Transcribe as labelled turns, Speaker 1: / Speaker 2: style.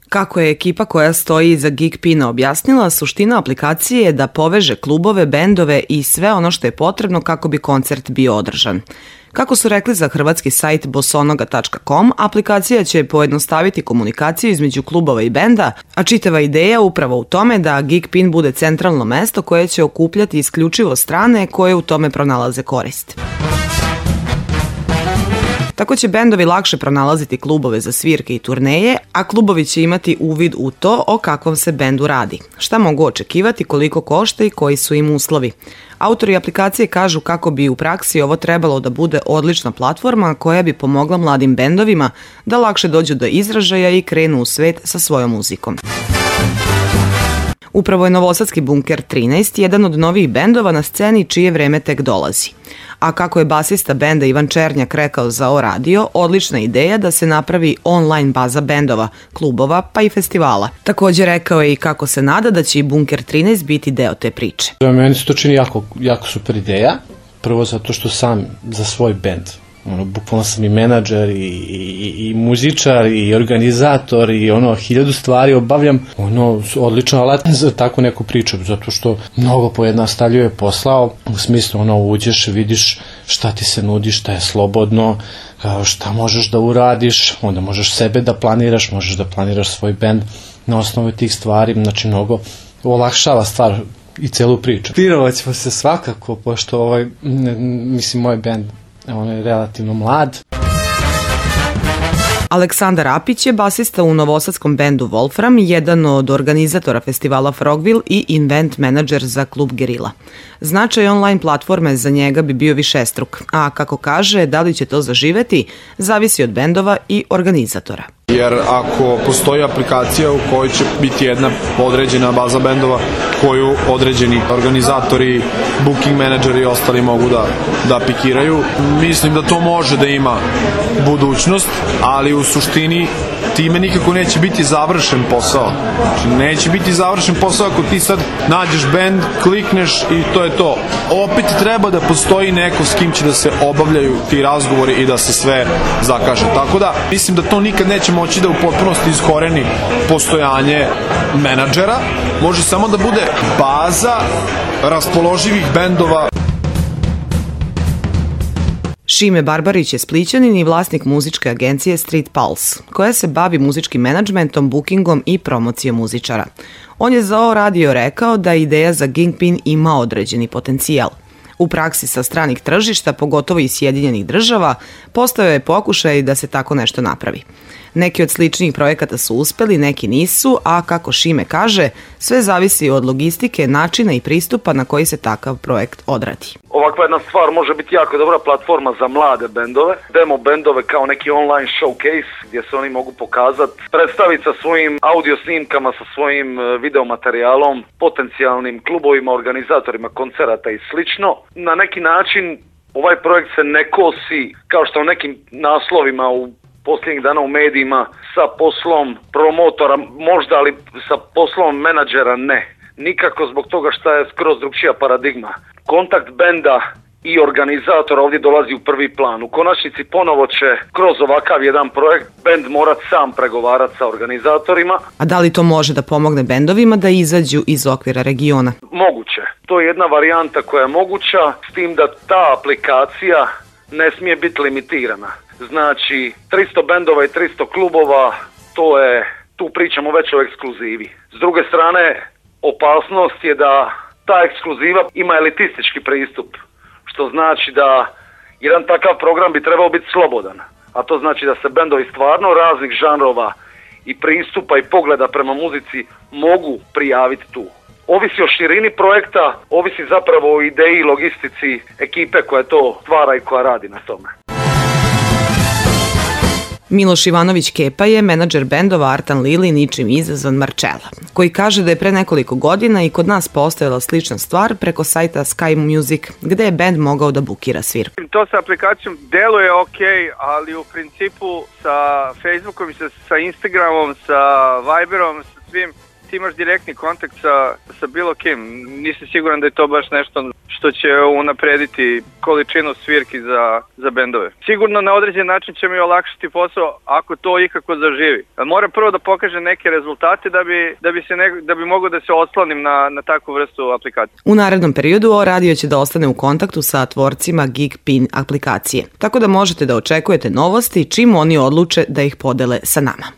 Speaker 1: Kako je ekipa koja stoji iza Geekpina objasnila, suština aplikacije je da poveže klubove, bendove i sve ono što je potrebno kako bi koncert bio održan. Kako su rekli za hrvatski sajt bosonoga.com, aplikacija će pojednostaviti komunikaciju između klubova i benda, a čitava ideja upravo u tome da Geekpin bude centralno mesto koje će okupljati isključivo strane koje u tome pronalaze korist. Tako će bendovi lakše pronalaziti klubove za svirke i turneje, a klubovi će imati uvid u to o kakvom se bendu radi, šta mogu očekivati, koliko košta i koji su im uslovi. Autori aplikacije kažu kako bi u praksi ovo trebalo da bude odlična platforma koja bi pomogla mladim bendovima da lakše dođu do izražaja i krenu u svet sa svojom muzikom. Upravo je novosadski Bunker 13 jedan od novih bendova na sceni čije vreme tek dolazi. A kako je basista benda Ivan Černjak rekao za O Radio, odlična ideja da se napravi online baza bendova, klubova pa i festivala. Također rekao je i kako se nada da će i Bunker 13 biti deo te priče.
Speaker 2: Meni se to čini jako super ideja, prvo zato što sam za svoj bend. Bukvalno sam i menadžer i muzičar i organizator i 1000 stvari obavljam. Odličan alat za takvu neku priču, zato što mnogo pojednostavljuje posao, u smislu uđeš, vidiš šta ti se nudi, šta je slobodno, šta možeš da uradiš, onda možeš sebe da planiraš, možeš da planiraš svoj bend na osnovu tih stvari, znači mnogo olakšava stvar i celu priču. Pirovat ćemo se svakako, pošto moj bend on je relativno mlad.
Speaker 1: Aleksandar Apić je basista u novosadskom bendu Wolfram, jedan od organizatora festivala Frogville i event menadžer za klub Gerila. Značaj online platforme za njega bi bio višestruk, a kako kaže, da li će to zaživeti, zavisi od bendova i organizatora.
Speaker 3: Jer ako postoji aplikacija u kojoj će biti jedna određena baza bendova koju određeni organizatori, booking menadžeri i ostali mogu da pikiraju, mislim da to može da ima budućnost, ali u suštini time nikako neće biti završen posao. Znači, neće biti završen posao ako ti sad nađeš bend, klikneš i to je to. Opet treba da postoji neko s kim će da se obavljaju ti razgovori i da se sve zakaže. Tako da, mislim da to nikad neće moći da u potpunosti iskoreni postojanje menadžera. Može samo da bude baza raspoloživih bendova.
Speaker 1: Šime Barbarić je Splićanin i vlasnik muzičke agencije Street Pulse, koja se bavi muzičkim menadžmentom, bookingom i promocijom muzičara. On je za O Radio rekao da ideja za Geekpin ima određeni potencijal. U praksi sa stranih tržišta, pogotovo i Sjedinjenih država, postojao je pokušaj da se tako nešto napravi. Neki od sličnih projekata su uspeli, neki nisu, a kako Šime kaže, sve zavisi od logistike, načina i pristupa na koji se takav projekt odradi.
Speaker 4: Ovakva jedna stvar može biti jako dobra platforma za mlade bendove, demo bendove kao neki online showcase gdje se oni mogu pokazati, predstaviti sa svojim audio snimkama, sa svojim videomaterijalom, potencijalnim klubovima, organizatorima koncerata i slično. Na neki način ovaj projekt se ne kosi kao što u nekim naslovima u posljednjih dana u medijima sa poslom promotora, možda, ali sa poslom menadžera ne. Nikako zbog toga što je skroz drugčija paradigma. Kontakt benda i organizatora ovdje dolazi u prvi plan. U konačnici ponovo će kroz ovakav jedan projekt bend morat sam pregovarati sa organizatorima.
Speaker 1: A da li to može da pomogne bendovima da izađu iz okvira regiona?
Speaker 4: Moguće. To je jedna varijanta koja je moguća, s tim da ta aplikacija ne smije biti limitirana. Znači, 300 bendova i 300 klubova, tu pričamo već o ekskluzivi. S druge strane, opasnost je da ta ekskluziva ima elitistički pristup, što znači da jedan takav program bi trebao biti slobodan. A to znači da se bendovi stvarno raznih žanrova i pristupa i pogleda prema muzici mogu prijaviti tu. Ovisi o širini projekta, ovisi zapravo o ideji i logistici ekipe koja to stvara i koja radi na tome.
Speaker 1: Miloš Ivanović Kepa je menadžer bendova Artan Lili ničim izazvan Marčela, koji kaže da je pre nekoliko godina i kod nas postojala slična stvar preko sajta Sky Music, gde je bend mogao da bukira svirku.
Speaker 5: To sa aplikacijom deluje ok, ali u principu sa Facebookom, sa Instagramom, sa Viberom, sa svim ti imaš direktni kontakt sa bilo kim. Nisi siguran da je to baš nešto što će unaprediti količinu svirki za bendove. Sigurno na određen način će mi olakšati posao ako to ikako zaživi. Moram prvo da pokažem neke rezultate da bi mogao da se oslonim na takvu vrstu aplikacije.
Speaker 1: U narednom periodu O Radio će da ostane u kontaktu sa tvorcima GigPin aplikacije, tako da možete da očekujete novosti čim oni odluče da ih podele sa nama.